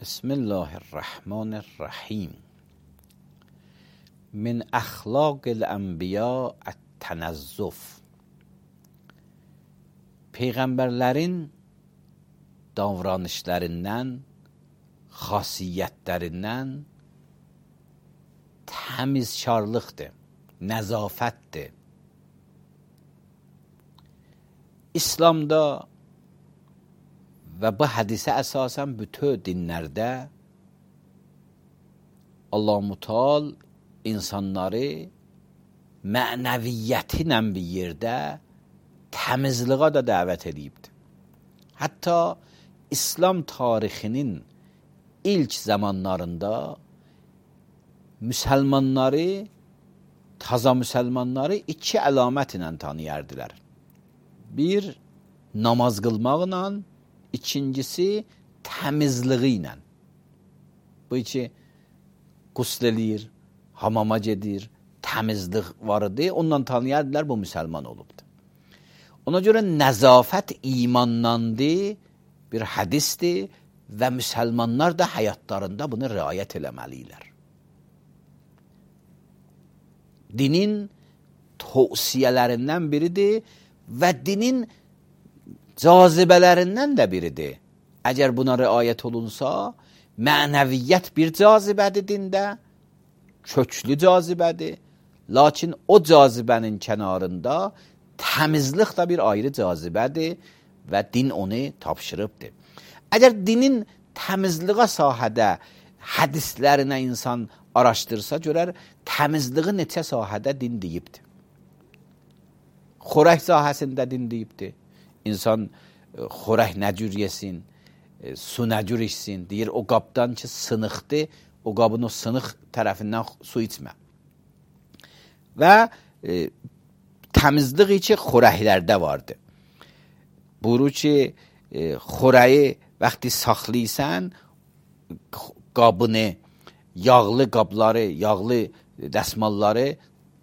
بسم الله الرحمن الرحیم. من اخلاق الانبیاء التنظف. Peyğəmbərlərin davranışlarından, xasiyyətlərindən təmizkarlıqdır, nəzafətdir. İslamda və bu hədisə əsasən bütün dinlərdə Allah-u Teala insanları mənəviyyəti ilə bir yerdə təmizliğə da dəvət edibdir. Hətta İslam tarixinin ilk zamanlarında taza müsəlmanları iki əlamət ilə tanıyardılar. Bir, namaz qılmaqla, ikincisi təmizliği ilə. Bu iki qusl eləyir, hamama gedir, təmizlik var idi. Ondan tanıyardılar, bu müsəlman olubdur. Ona görə nəzafət imandandır, bir hədisdir və müsəlmanlar da həyatlarında bunu riayət eləməliyirlər. Dinin tövsiyələrindən biridir və dinin cazibələrindən də biridir. Əgər buna riayət olunsa, mənəviyyət bir cazibədir dində, köklü cazibədir. Lakin o cazibənin kənarında təmizlik də bir ayrı cazibədir və din onu tapşırıbdır. Əgər dinin təmizliğə sahədə hədislərinə insan araşdırsa, görər təmizliği neçə sahədə din deyibdir. Xörək sahəsində din deyibdir. İnsan xörək nə cür yesin, su nə cür içsin. Deyir, o qabdan ki sınıqdır, o qabın o sınıq tərəfindən su içmə. Və təmizlik ki xörəklərdə vardır. Buyurur ki, xörəyi vaxtı saxlayırsan, qabını, yağlı qabları, yağlı dəsmalları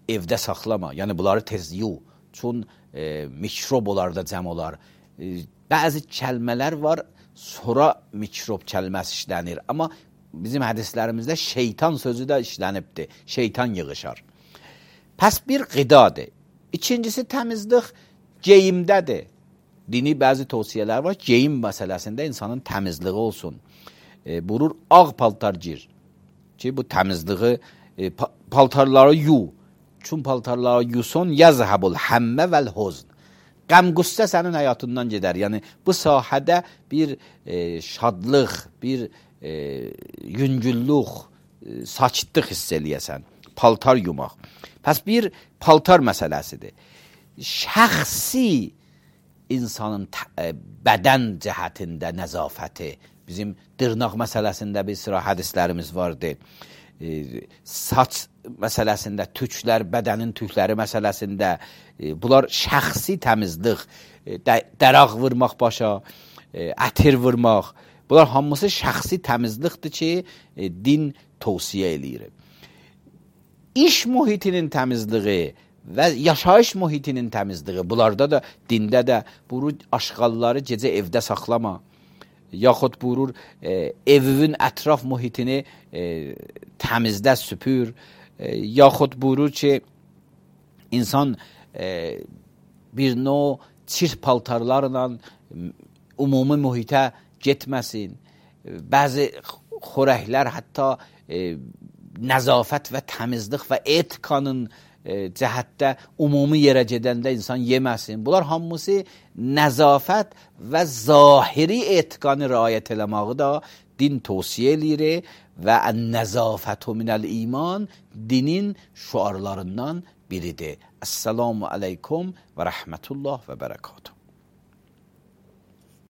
evdə saxlama. Yəni bunları tez yu. Çün mikrob olar da cəm olar. Bəzi kəlmələr var, sonra mikrob kəlməsi işlənir. Amma bizim hədislərimizdə şeytan sözü də işlənibdir. Şeytan yığışar. Pəs bir qidadır. İkincisi təmizlik geyimdədir. Dini bəzi tövsiyələr var. Geyim məsələsində insanın təmizliği olsun. Buyurur, ağ paltar gir. Ki bu təmizliği, paltarları yu. Çün paltarları yusun, yazhabul həmmə vəl huzn. Qəm-qüssə sənin həyatından gedər. Yəni, bu sahədə bir şadlıq, bir yüngüllük, sakitlıq hiss eləyəsən. Paltar yumaq. Pəs bir paltar məsələsidir. Şəxsi insanın bədən cəhətində nəzafəti, bizim dırnaq məsələsində bir sıra hədislərimiz vardır. Saç məsələsində, tüklər, bədənin tükləri məsələsində, bunlar şəxsi təmizlik, dəraq vurmaq başa, ətir vurmaq, bunlar hamısı şəxsi təmizlikdir ki, din tövsiyə eləyir. İş mühitinin təmizliği və yaşayış mühitinin təmizliği, bunlarda da, dində də buyurur, aşqalları gecə evdə saxlama, yaxud buyurur, evin ətraf mühitini təmizdə süpür, yaxud buyurur ki, insan bir növ çirt paltarlarla ümumi mühitə getməsin. Bəzi xörəklər hətta nəzafət və təmizlik və etikanın cəhətdə ümumi yerə gedəndə insan yeməsin. Bunlar hamısı nəzafət və zahiri etikanı riayət eləməyi da din tövsiyə eləyir və ən-nəzafətu minəl iman dinin şüarlarından biridir. Əssalamu aleykum və rəhmətullah və bərəkatuhu.